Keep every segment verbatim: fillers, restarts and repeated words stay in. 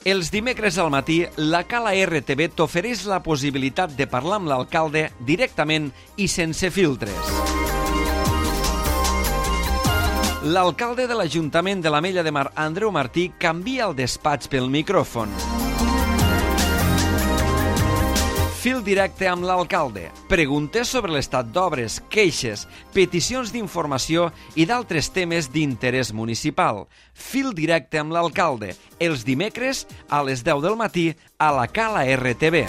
Els dimecres al matí, la Cala R T V t'ofereix la possibilitat de parlar amb l'alcalde directament i sense filtres. L'alcalde de l'Ajuntament de l'Ametlla de Mar, Andreu Martí, canvia el despatx pel micròfon. Fil directe amb l'alcalde. Preguntes sobre l'estat d'obres, queixes, peticions d'informació i d'altres temes d'interès municipal. Fil directe amb l'alcalde. Els dimecres a les deu del matí a la Cala R T V.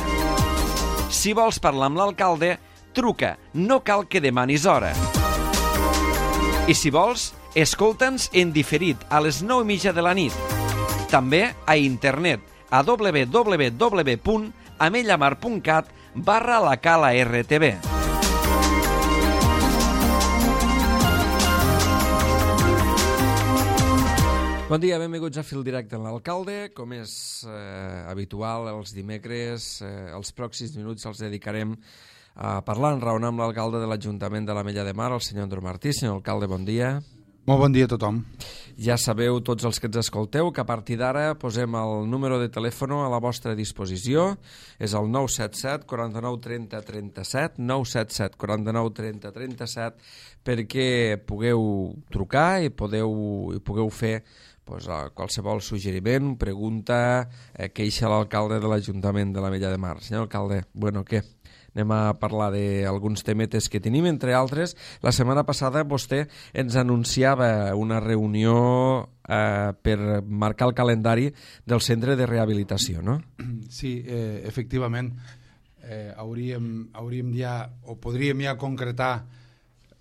Si vols parlar amb l'alcalde, truca. No cal que demanis hora. I si vols, escolta'ns en diferit a les nou i mitja de la nit. També a internet a w w w punt amellamar punt cat barra la Cala R T V. Bon dia, benvinguts a Fil Directe amb l'alcalde. Com és eh, habitual, els dimecres, eh, els pròxims minuts els dedicarem a parlar, enraonar amb l'alcalde de l'Ajuntament de l'Ametlla de Mar, el senyor Andreu Martí. Senyor alcalde, bon dia. Molt bon dia a tothom. Ja sabeu, tots els que ens escolteu, que a partir d'ara posem el número de telèfon a la vostra disposició. És el nou set set, quaranta-nou, trenta, trenta-set, nou set set, quaranta-nou, trenta, trenta-set, perquè pugueu trucar i podeu, i pugueu fer pues, qualsevol suggeriment, pregunta, eh, queixa a l'alcalde de l'Ajuntament de l'Ametlla de Mar. Senyor alcalde, bueno, què? Anem a parlar d'alguns temetes que tenim, entre altres. La setmana passada vostè ens anunciava una reunió eh, per marcar el calendari del centre de rehabilitació, no? Sí, eh, efectivament. Eh, hauríem, hauríem ja, o podríem ja concretar,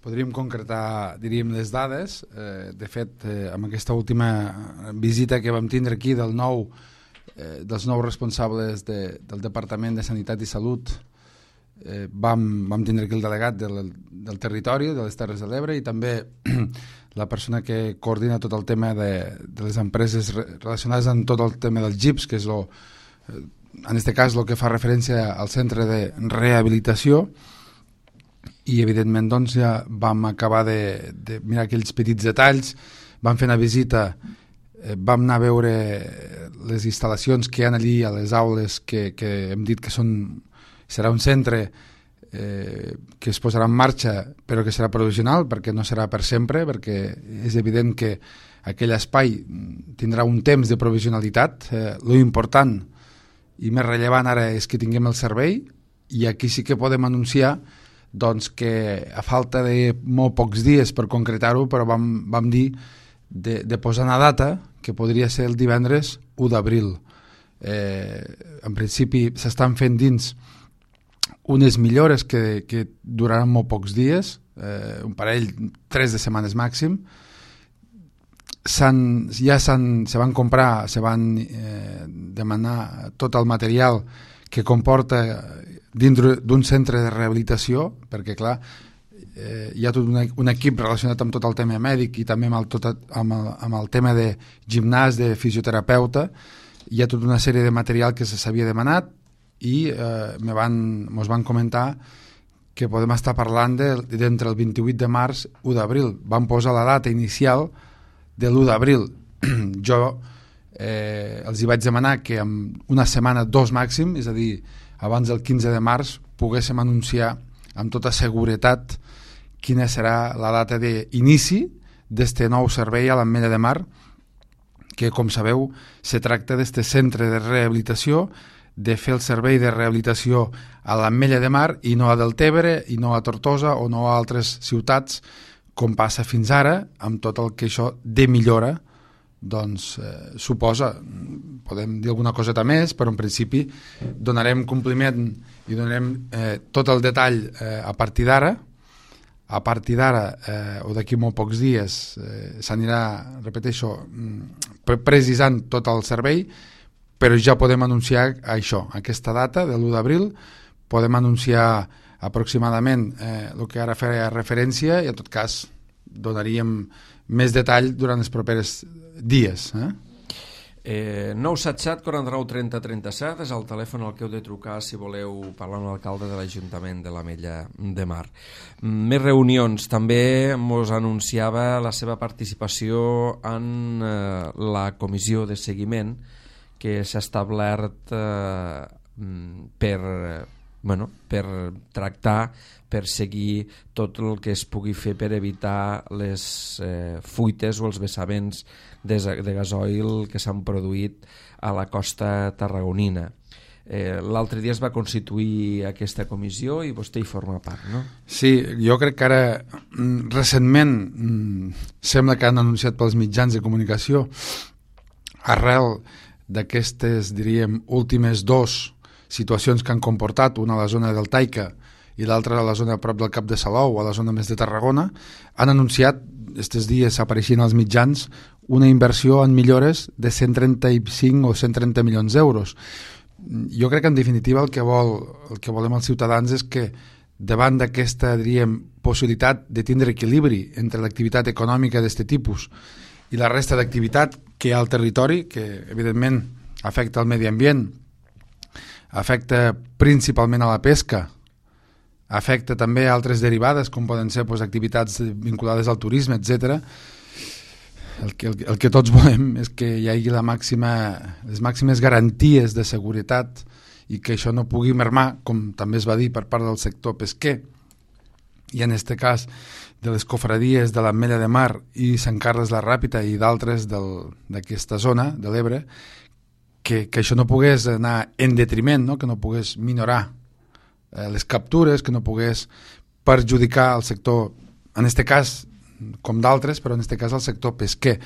podríem concretar, diríem, les dades. Eh, de fet, eh, amb aquesta última visita que vam tindre aquí del nou, eh, dels nous responsables de, del Departament de Sanitat i Salut, Eh, vam, vam tindre aquí el delegat del, del territori, de les Terres de l'Ebre, i també la persona que coordina tot el tema de, de les empreses relacionades amb tot el tema dels G I Ps, que és lo, eh, en aquest cas el que fa referència al centre de rehabilitació, i evidentment doncs, ja vam acabar de, de mirar aquells petits detalls, vam fer una visita, eh, vam anar a veure les instal·lacions que hi ha allí a les aules que, que hem dit que són serà un centre eh, que es posarà en marxa, però que serà provisional, perquè no serà per sempre, perquè és evident que aquell espai tindrà un temps de provisionalitat. Eh, lo important i més rellevant ara és que tinguem el servei, i aquí sí que podem anunciar doncs, que a falta de molt pocs dies per concretar-ho, però vam, vam dir de, de posar una data que podria ser el divendres u d'abril. Eh, en principi s'estan fent dins unes millores que, que duraran molt pocs dies, eh, un parell, tres de setmanes màxim. S'han, ja s'han, se van comprar, se van eh, demanar tot el material que comporta dintre d'un centre de rehabilitació, perquè clar, eh, hi ha tot un, un equip relacionat amb tot el tema mèdic i també amb el, tot, amb el, amb el tema de gimnàs, de fisioterapeuta. Hi ha tota una sèrie de material que se s'havia demanat, i eh, me van, mos van comentar que podem estar parlant d'entre de, el vint-i-vuit de març i u d'abril. Van posar la data inicial de l'u d'abril. Jo eh, els hi vaig demanar que en una setmana, dos màxim, és a dir, abans del quinze de març, poguéssim anunciar amb tota seguretat quina serà la data d'inici d'este nou servei a l'Ametlla de Mar, que, com sabeu, se tracta d'este centre de rehabilitació, de fer el servei de rehabilitació a l'Ametlla de Mar i no a Deltebre i no a Tortosa o no a altres ciutats, com passa fins ara, amb tot el que això de millora doncs, eh, suposa. Podem dir alguna coseta més, però en principi donarem compliment i donarem eh, tot el detall eh, a partir d'ara. A partir d'ara, eh, o d'aquí molt pocs dies, eh, s'anirà, repeteixo, precisant tot el servei, però ja podem anunciar això, aquesta data de l'u d'abril, podem anunciar aproximadament eh, el que ara feia referència, i en tot cas donaríem més detall durant els propers dies. Eh? Eh, nou set set, quaranta-nou, trenta, trenta-set és el telèfon al que heu de trucar si voleu parlar amb l'alcalde de l'Ajuntament de l'Ametlla de Mar. Més reunions. També mos anunciava la seva participació en eh, la comissió de seguiment que s'ha establert eh, per, bueno, per tractar, per seguir tot el que es pugui fer per evitar les eh, fuites o els vessaments de, de gasoil que s'han produït a la costa tarragonina. Eh, L'altre dia es va constituir aquesta comissió i vostè hi forma part, no? Sí, jo crec que ara recentment sembla que han anunciat pels mitjans de comunicació, arrel d'aquestes, diríem, últimes dos situacions que han comportat, una a la zona del Taica i l'altra a la zona a prop del Cap de Salou, a la zona més de Tarragona, han anunciat, aquests dies apareixien als mitjans, una inversió en millores de cent trenta-cinc o cent trenta milions d'euros. Jo crec que en definitiva el que, vol, el que volem els ciutadans és que davant d'aquesta, diríem, possibilitat de tindre equilibri entre l'activitat econòmica d'aquest tipus i la resta d'activitat que hi ha al territori, que evidentment afecta el medi ambient, afecta principalment a la pesca, afecta també a altres derivades com poden ser doncs, activitats vinculades al turisme, etcètera. El que, el, el que tots volem és que hi hagi la màxima, les màximes garanties de seguretat i que això no pugui mermar, com també es va dir per part del sector pesquer, i en aquest cas de les cofradies de l'Ametlla de Mar i Sant Carles la Ràpita i d'altres d'aquesta zona de l'Ebre, que, que això no pogués anar en detriment, no? Que no pogués minorar eh, les captures, que no pogués perjudicar el sector, en aquest cas com d'altres, però en aquest cas el sector pesquer.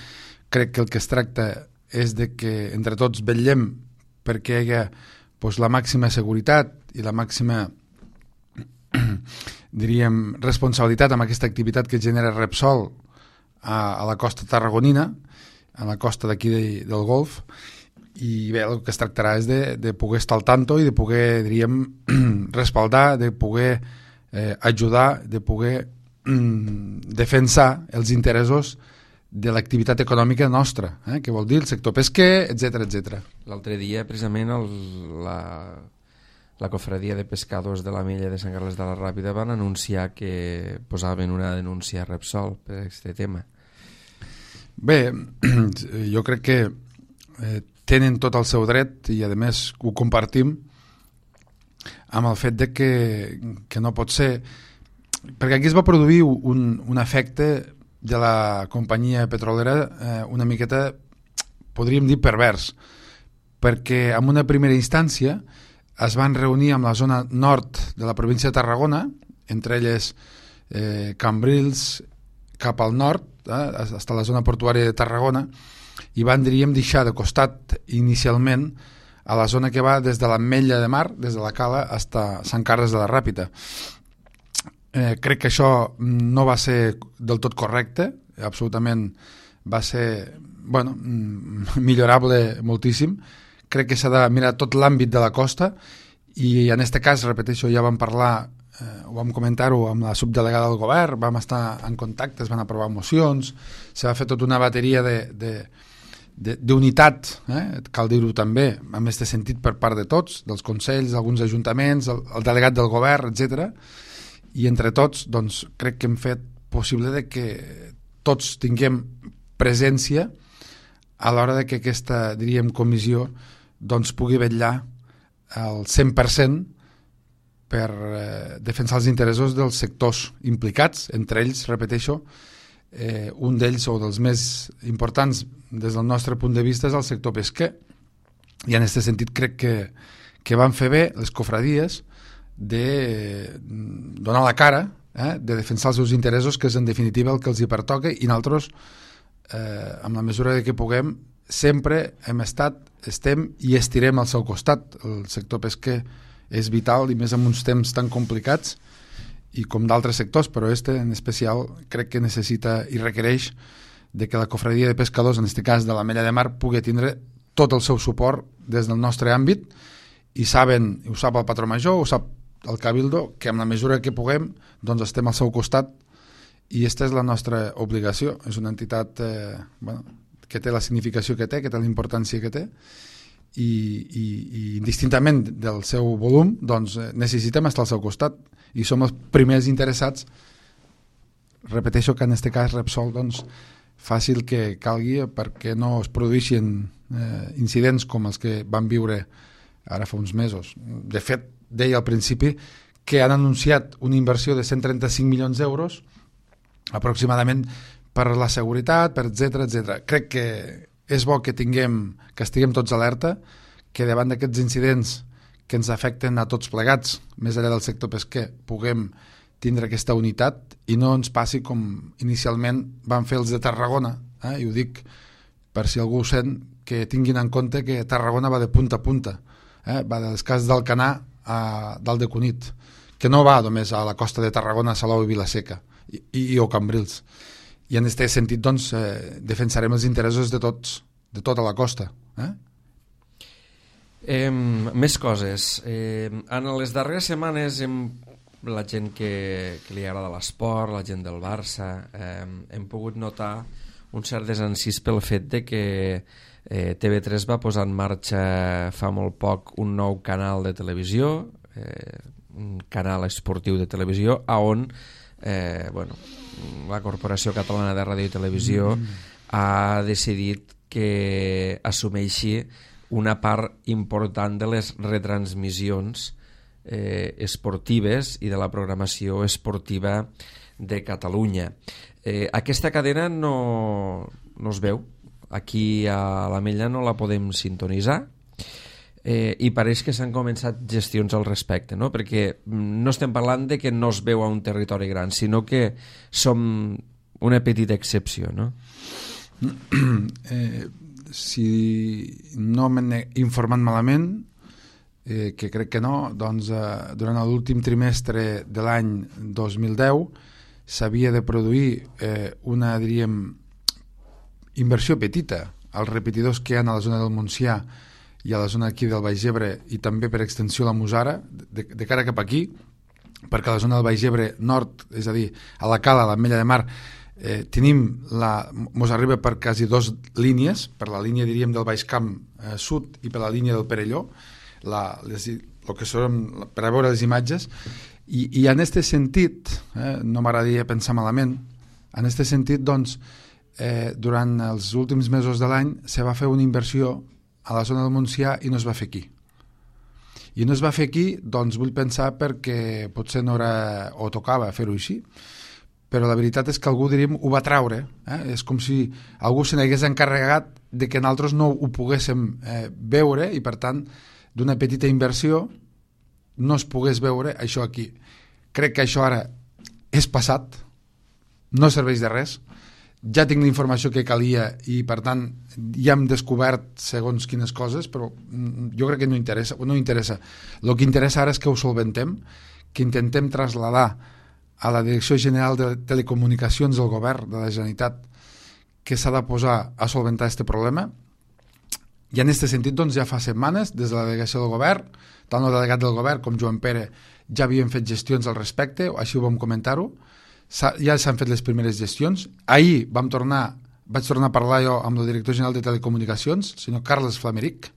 Crec que el que es tracta és de que entre tots vetllem perquè hi hagi doncs, la màxima seguretat i la màxima diríem responsabilitat amb aquesta activitat que genera Repsol a, a la costa tarragonina, a la costa d'aquí de, del Golf, i bé, el que es tractarà és de, de poder estar al tanto i de poder, diríem, respaldar, de poder eh, ajudar, de poder defensar els interessos de l'activitat econòmica nostra, eh? Que vol dir el sector pesquer, etcètera, etcètera. L'altre dia, precisament, el, la, la cofradia de pescadors de l'Ametlla de Sant Carles de la Ràpita van anunciar que posaven una denúncia a Repsol per aquest tema. Bé, jo crec que eh, tenen tot el seu dret i, a més, ho compartim amb el fet de que, que no pot ser... Perquè aquí es va produir un, un efecte de la companyia petrolera eh, una miqueta, podríem dir, pervers, perquè en una primera instància es van reunir amb la zona nord de la província de Tarragona, entre elles eh, Cambrils cap al nord, eh, fins a la zona portuària de Tarragona, i van, diríem, deixar de costat inicialment a la zona que va des de l'Ametlla de Mar, des de la Cala, fins a Sant Carles de la Ràpita. Eh, crec que això no va ser del tot correcte, absolutament va ser, bueno, millorable moltíssim. Crec que s'ha de mirar tot l'àmbit de la costa i en aquest cas, repeteixo, ja vam parlar, eh, ho vam comentar-ho amb la subdelegada del govern, vam estar en contacte, es van aprovar mocions, s'ha fet tota una bateria de, de, de, d'unitat, eh, cal dir-ho també, en aquest sentit per part de tots, dels consells, alguns ajuntaments, el, el delegat del govern, etcètera. I entre tots, doncs, crec que hem fet possible de que tots tinguem presència a l'hora de que aquesta, diríem, comissió doncs, pugui vetllar al cent per cent per eh, defensar els interessos dels sectors implicats, entre ells, repeteixo, eh, un d'ells o dels més importants des del nostre punt de vista és el sector pesquer. I en aquest sentit crec que, que van fer bé les cofradies de donar la cara, eh, de defensar els seus interessos, que és en definitiva el que els hi pertoca, i nosaltres, eh, amb la mesura de que puguem, sempre hem estat, estem i estirem al seu costat. El sector pesquer és vital, i més en uns temps tan complicats, i com d'altres sectors, però este en especial crec que necessita i requereix de que la cofradia de pescadors, en aquest cas de l'Ametlla de Mar, pugui tindre tot el seu suport des del nostre àmbit, i saben, ho sap el patró major, ho sap el Cabildo, que amb la mesura que puguem doncs estem al seu costat, i aquesta és la nostra obligació. És una entitat eh, bueno, que té la significació que té, que té la importància que té, i, i, i indistintament del seu volum doncs necessitem estar al seu costat, i som els primers interessats. Repeteixo que en aquest cas Repsol doncs, fàcil que calgui perquè no es produeixin eh, incidents com els que van viure ara fa uns mesos. De fet, deia al principi que han anunciat una inversió de cent trenta-cinc milions d'euros aproximadament per la seguretat, per etcètera, etcètera. Crec que és bo que tinguem, que estiguem tots alerta, que davant d'aquests incidents que ens afecten a tots plegats, més enllà del sector pesquer, puguem tindre aquesta unitat i no ens passi com inicialment van fer els de Tarragona, eh? I ho dic per si algú sent, que tinguin en compte que Tarragona va de punta a punta, eh? Va dels casos d'Alcanar a dalt de Cunit, que no va només a la costa de Tarragona, Salou i Vilaseca i, i, i o Cambrils. I en aquest sentit doncs, eh, defensarem els interessos de tots, de tota la costa. Eh? Eh, més coses. Eh, en les darreres setmanes hem, la gent que, que li agrada l'esport, la gent del Barça, eh, hem pogut notar un cert desencís pel fet de que eh, T V tres va posar en marxa fa molt poc un nou canal de televisió, eh, un canal esportiu de televisió, a on eh, bueno, la Corporació Catalana de Ràdio i Televisió mm. ha decidit que assumeixi una part important de les retransmissions eh, esportives i de la programació esportiva de Catalunya. Eh, aquesta cadena no, no es veu. Aquí a l'Ametlla no la podem sintonitzar eh, i pareix que s'han començat gestions al respecte, no? Perquè no estem parlant de que no es veu a un territori gran, sinó que som una petita excepció, no? Eh, si no m'he informat malament, eh, que crec que no, doncs eh, durant l'últim trimestre de l'any dos mil deu s'havia de produir eh, una, diríem, inversió petita als repetidors que hi ha a la zona del Montsià i a la zona aquí del Baix Ebre i també per extensió la Musara, de, de cara cap aquí, perquè a la zona del Baix Ebre nord, és a dir, a la Cala, a l'Ametlla de Mar, eh, tenim la, mos arriba per quasi dos línies, per la línia, diríem, del Baix Camp eh, sud i per la línia del Perelló, la, les, el que són, per a veure les imatges, i, i en aquest sentit, eh, no m'agradaria pensar malament, en aquest sentit, doncs, eh, durant els últims mesos de l'any se va fer una inversió a la zona del Montsià i no es va fer aquí. I no es va fer aquí, doncs vull pensar perquè potser no era, o tocava fer-ho així, però la veritat és que algú, diríem, ho va traure. Eh? És com si algú se n'hagués encarregat de que nosaltres no ho poguéssim eh, veure i, per tant, d'una petita inversió no es pogués veure això aquí. Crec que això ara és passat, no serveix de res, ja tinc la informació que calia i, per tant, ja hem descobert segons quines coses, però jo crec que no interessa. No interessa. El que interessa ara és que ho solventem, que intentem traslladar a la Direcció General de Telecomunicacions del Govern de la Generalitat que s'ha de posar a solventar aquest problema. I en aquest sentit, doncs, ja fa setmanes, des de la delegació del Govern, tant el delegat del Govern com Joan Pere ja havien fet gestions al respecte, així ho vam comentar-ho, ja s'han fet les primeres gestions. Ahir vam tornar, vaig tornar a parlar jo amb el director general de Telecomunicacions, el senyor Carles Flameric,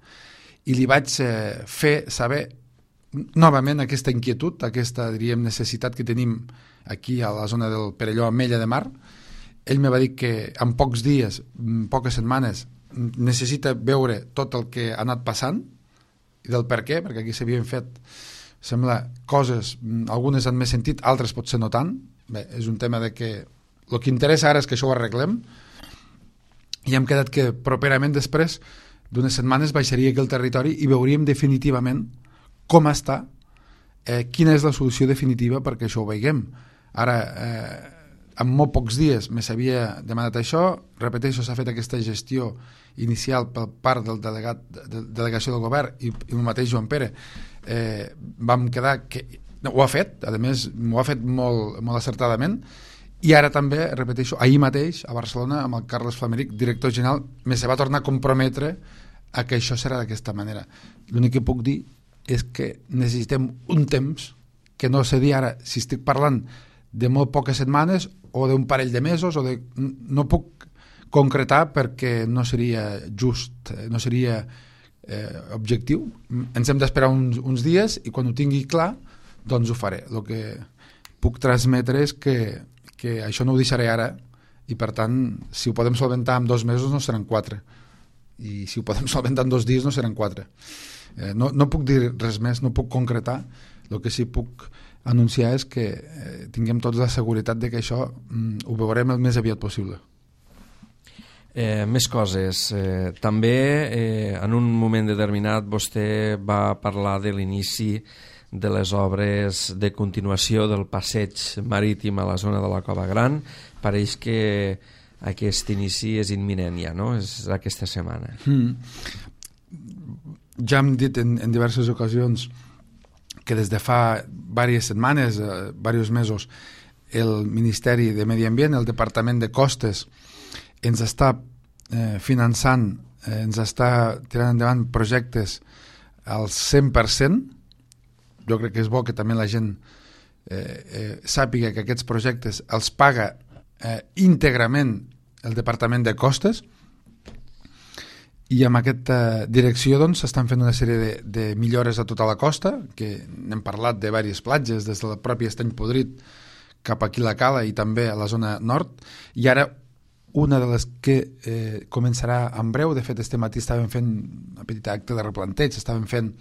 i li vaig eh, fer saber novament aquesta inquietud, aquesta, diríem, necessitat que tenim aquí a la zona del Perelló, Ametlla de Mar. Ell me va dir que en pocs dies, en poques setmanes, necessita veure tot el que ha anat passant i del per què, perquè aquí s'havien fet, sembla, coses, algunes han més sentit, altres potser no tant. Bé, és un tema de que el que interessa ara és que això ho arreglem i hem quedat que properament després d'unes setmanes baixaria aquí al territori i veuríem definitivament com està, eh, quina és la solució definitiva perquè això ho veiem. Ara, eh, en molt pocs dies me s'havia demanat això, repeteixo, s'ha fet aquesta gestió inicial per part del delegat de delegació del Govern i, i el mateix Joan Pere, eh, vam quedar que no, ho ha fet, a més ho ha fet molt, molt acertadament, i ara també, repeteixo, ahir mateix a Barcelona amb el Carles Flameric, director general, me se va tornar a comprometre a que això serà d'aquesta manera. L'únic que puc dir és que necessitem un temps que no sé dir ara si estic parlant de molt poques setmanes o d'un parell de mesos o de... no puc concretar perquè no seria just, no seria eh, objectiu. Ens hem d'esperar uns, uns dies i quan ho tingui clar doncs ho faré. El que puc transmetre és que, que això no ho deixaré ara i per tant, si ho podem solventar en dos mesos no seran quatre, i si ho podem solventar en dos dies no seran quatre. Eh, no, no puc dir res més, no puc concretar. El que sí puc anunciar és que eh, tinguem tots la seguretat de que això mm, ho veurem el més aviat possible. Eh, més coses. Eh, també eh, en un moment determinat vostè va parlar de l'inici de les obres de continuació del passeig marítim a la zona de la Cova Gran. Pareix que aquest inici és imminent ja, no? És aquesta setmana. Mm. Ja hem dit en, en diverses ocasions que des de fa diverses setmanes, eh, diversos mesos, el Ministeri de Medi Ambient, el Departament de Costes, ens està eh, finançant, eh, ens està tirant endavant projectes al cent per cent. Jo crec que és bo que també la gent eh, eh, sàpiga que aquests projectes els paga eh, íntegrament el Departament de Costes, i amb aquesta direcció doncs s'estan fent una sèrie de, de millores a tota la costa, que n'hem parlat de diverses platges, des del propi Estany Podrit cap aquí la Cala i també a la zona nord, i ara una de les que eh, començarà en breu. De fet, este matí estàvem fent una petita acte de replanteig, estàvem fent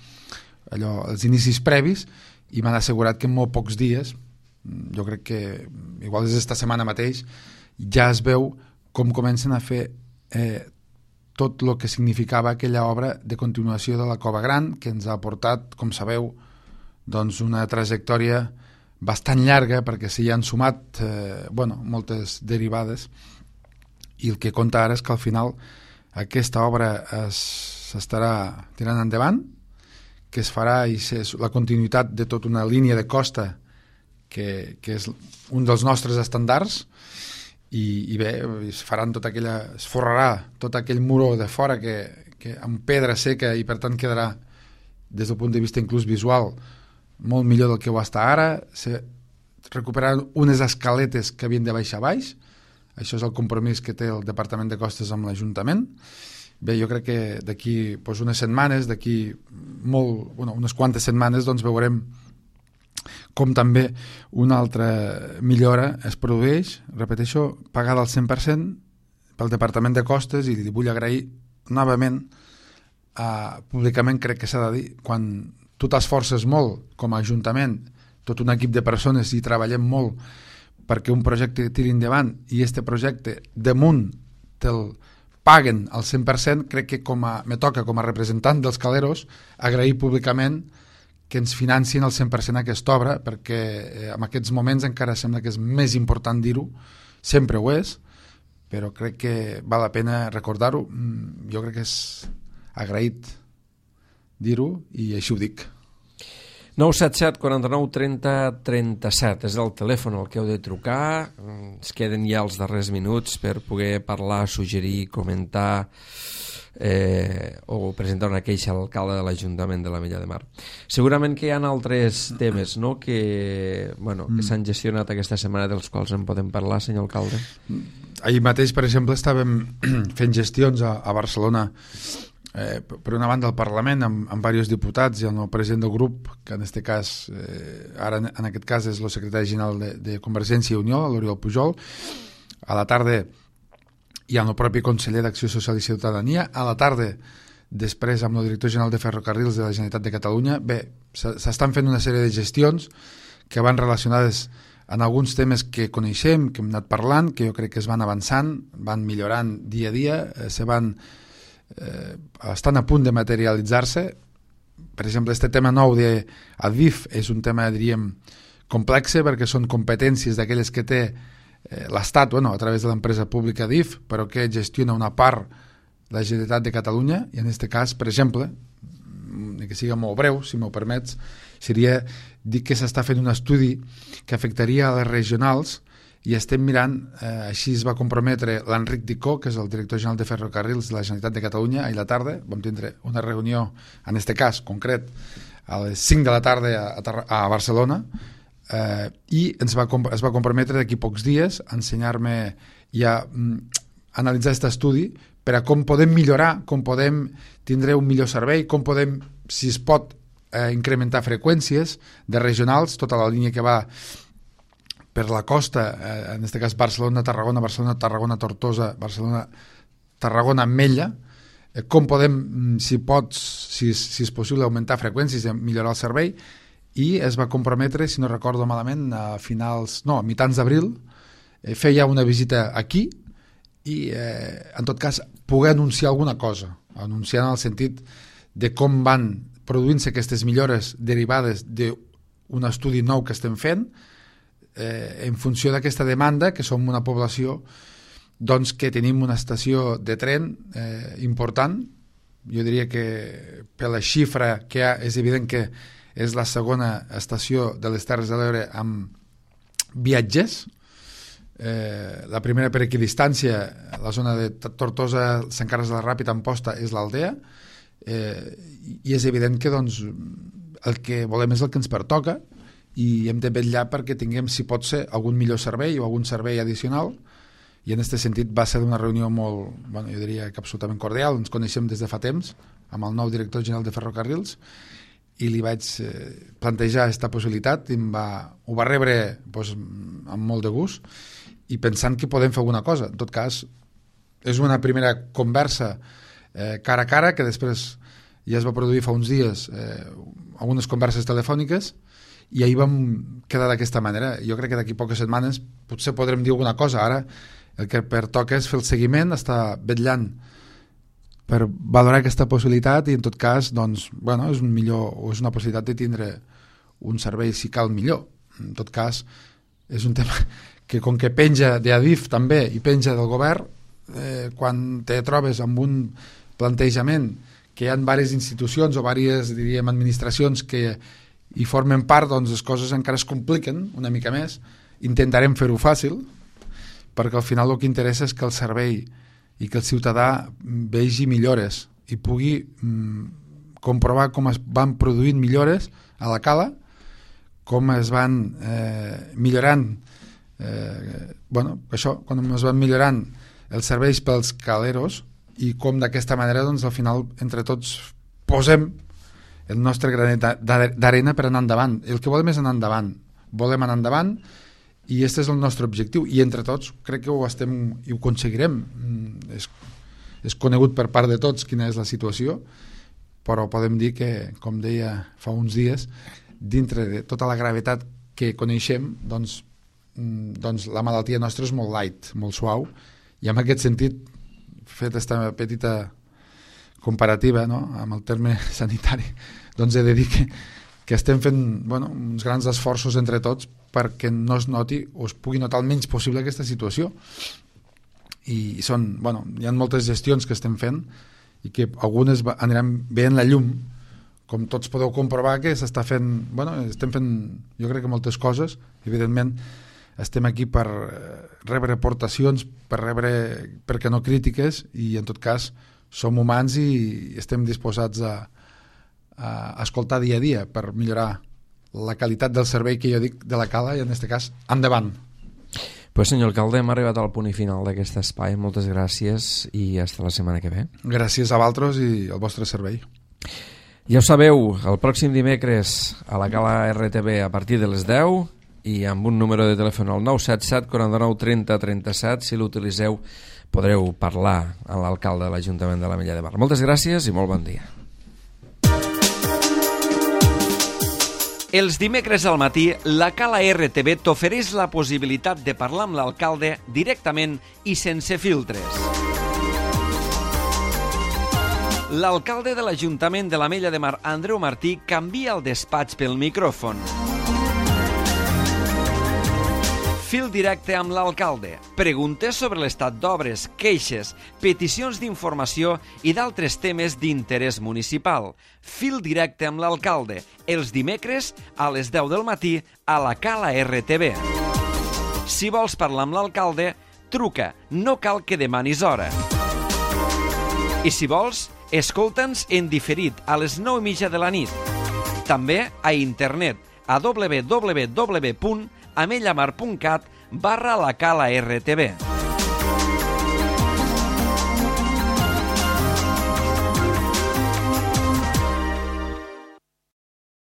allò, els inicis previs, i m'han assegurat que en molt pocs dies, jo crec que igual és esta setmana mateix, ja es veu com comencen a fer eh, tot el que significava aquella obra de continuació de la Cova Gran, que ens ha portat, com sabeu, doncs una trajectòria bastant llarga, perquè s'hi han sumat eh, bueno, moltes derivades, i el que compta ara és que al final aquesta obra s'estarà tirant endavant, que es farà i és la continuïtat de tota una línia de costa que, que és un dels nostres estàndards, i, i bé, es faran tota aquella, es forrarà tot aquell muro de fora que, que amb pedra seca, i per tant quedarà des del punt de vista inclús visual molt millor del que ho està ara. Se recuperaran unes escaletes que havien de baixar baix. Això és el compromís que té el Departament de Costes amb l'Ajuntament. Bé, jo crec que d'aquí doncs, unes setmanes, d'aquí molt, bueno, unes quantes setmanes, doncs veurem com també una altra millora es produeix, repeteixo, pagada al cent per cent pel Departament de Costes, i li vull agrair novament, eh, públicament crec que s'ha de dir, quan tu t'esforces molt com a Ajuntament, tot un equip de persones, i treballem molt perquè un projecte tiri endavant, i este projecte damunt te'l paguen al cent per cent, crec que com a, me toca com a representant dels caleros agrair públicament que ens financin al cent per cent aquesta obra, perquè eh, en aquests moments encara sembla que és més important dir-ho, sempre ho és, però crec que val la pena recordar-ho. Jo crec que és agraït dir-ho, i així ho dic. nou set set, quaranta-nou, trenta, trenta-set és el telèfon al que heu de trucar. Ens queden ja els darrers minuts per poder parlar, suggerir, comentar eh, o presentar una queixa a l'alcalde de l'Ajuntament de l'Ametlla de Mar. Segurament que hi ha altres temes, no?, que, bueno, que s'han gestionat aquesta setmana, dels quals en podem parlar, senyor alcalde. Ahir mateix, per exemple, estàvem fent gestions a, a Barcelona, Eh, per una banda al Parlament, amb, amb diversos diputats, i el nou president del grup, que en este cas, eh, ara en aquest cas és el secretari general de, de Convergència i Unió, l'Oriol Pujol. A la tarda hi ha el propi conseller d'Acció Social i Ciutadania. A la tarda, després, amb el director general de Ferrocarrils de la Generalitat de Catalunya. Bé, s'estan fent una sèrie de gestions que van relacionades en alguns temes que coneixem, que hem anat parlant, que jo crec que es van avançant, van millorant dia a dia, eh, se van Eh, estan a punt de materialitzar-se. Per exemple, este tema nou de Adif és un tema, diríem, complex, perquè són competències d'aquelles que té eh, l'Estat, bueno, a través de l'empresa pública Adif, però que gestiona una part la Generalitat de Catalunya, i en aquest cas, per exemple, que siga molt breu, si m'ho permets, seria dir que s'està fent un estudi que afectaria a les regionals, i estem mirant, eh, així es va comprometre l'Enric Dicó, que és el director general de Ferrocarrils de la Generalitat de Catalunya. Ahir a la tarda vam tindre una reunió, en aquest cas concret, a les cinc de la tarda a, a Barcelona, eh, i ens va, es va comprometre d'aquí pocs dies a ensenyar-me i a mm, analitzar aquest estudi per a com podem millorar, com podem tindre un millor servei, com podem, si es pot, eh, incrementar freqüències de regionals, tota la línia que va per la costa, eh, en aquest cas Barcelona-Tarragona, Barcelona-Tarragona-Tortosa, Barcelona-Tarragona-Mella, eh, com podem, si pots, si, si és possible, augmentar freqüències i millorar el servei, i es va comprometre, si no recordo malament, a finals, no, a mitjans d'abril, eh, feia una visita aquí i, eh, en tot cas, poder anunciar alguna cosa, anunciar en el sentit de com van produint-se aquestes millores derivades d'un estudi nou que estem fent, eh, en funció d'aquesta demanda, que som una població doncs, que tenim una estació de tren eh, important. Jo diria que per la xifra que hi ha és evident que és la segona estació de les Terres de l'Ebre amb viatgers. Eh, la primera per equidistància, la zona de Tortosa, Sant Carles de la Ràpita, Amposta, és l'Aldea, eh, i és evident que doncs, el que volem és el que ens pertoca i hem de vetllar perquè tinguem, si pot ser, algun millor servei o algun servei addicional, i en aquest sentit va ser una reunió molt, bueno, jo diria que absolutament cordial. Ens coneixem des de fa temps amb el nou director general de Ferrocarrils i li vaig eh, plantejar aquesta possibilitat i em va, ho va rebre doncs, amb molt de gust i pensant que podem fer alguna cosa. En tot cas, és una primera conversa eh, cara a cara que després ja es va produir fa uns dies eh, algunes converses telefòniques i ahir vam quedar d'aquesta manera. Jo crec que d'aquí poques setmanes potser podrem dir alguna cosa. Ara el que pertoca és fer el seguiment, estar vetllant per valorar aquesta possibilitat i en tot cas doncs, bueno, és, un millor, o és una possibilitat de tindre un servei si cal millor. En tot cas és un tema que com que penja d'Adif també i penja del govern, eh, quan te trobes amb un plantejament que hi ha diverses institucions o diverses, diríem, administracions que hi formen part, doncs les coses encara es compliquen una mica més. Intentarem fer-ho fàcil, perquè al final el que interessa és que el servei i que el ciutadà vegi millores i pugui mm, comprovar com es van produint millores a la cala, com es van eh, millorant eh, bueno, això, quan es van millorant els serveis pels caleros i com d'aquesta manera doncs, al final entre tots posem el nostre granet d'arena per anar endavant. El que volem és anar endavant, volem anar endavant i aquest és el nostre objectiu i entre tots crec que ho estem i ho aconseguirem. És, és conegut per part de tots quina és la situació, però podem dir que, com deia fa uns dies, dintre de tota la gravetat que coneixem, doncs, doncs la malaltia nostra és molt light, molt suau, i en aquest sentit, fet aquesta petita comparativa, no?, amb el terme sanitari, doncs he de dir que, que estem fent bueno, uns grans esforços entre tots perquè no es noti o es pugui notar el menys possible aquesta situació. I són, bueno, hi ha moltes gestions que estem fent i que algunes aniran veient la llum, com tots podeu comprovar que s'està fent, bueno, estem fent jo crec que moltes coses, evidentment estem aquí per rebre aportacions, per rebre, perquè no crítiques, i en tot cas som humans i estem disposats a, a escoltar dia a dia per millorar la qualitat del servei que jo dic de la cala i en aquest cas endavant. Pues senyor alcalde, hem arribat al punt i final d'aquest espai. Moltes gràcies i fins la setmana que ve. Gràcies a vosaltres i al vostre servei. Ja ho sabeu, el pròxim dimecres a la Cala R T V a partir de les deu i amb un número de telèfon al nou set set quaranta-nou trenta trenta-set, si l'utilitzeu podreu parlar amb l'alcalde de l'Ajuntament de l'Ametlla de Mar. Moltes gràcies i molt bon dia. Els dimecres al matí, la Cala R T V t'ofereix la possibilitat de parlar amb l'alcalde directament i sense filtres. L'alcalde de l'Ajuntament de l'Ametlla de Mar, Andreu Martí, canvia el despatx pel micròfon. Fil directe amb l'alcalde. Preguntes sobre l'estat d'obres, queixes, peticions d'informació i d'altres temes d'interès municipal. Fil directe amb l'alcalde. Els dimecres a les deu del matí a la Cala R T V. Si vols parlar amb l'alcalde, truca. No cal que demanis hora. I si vols, escolta'ns en diferit a les nou i mitja de la nit. També a internet a w w w punt amellamar punt cat barra la Cala R T V.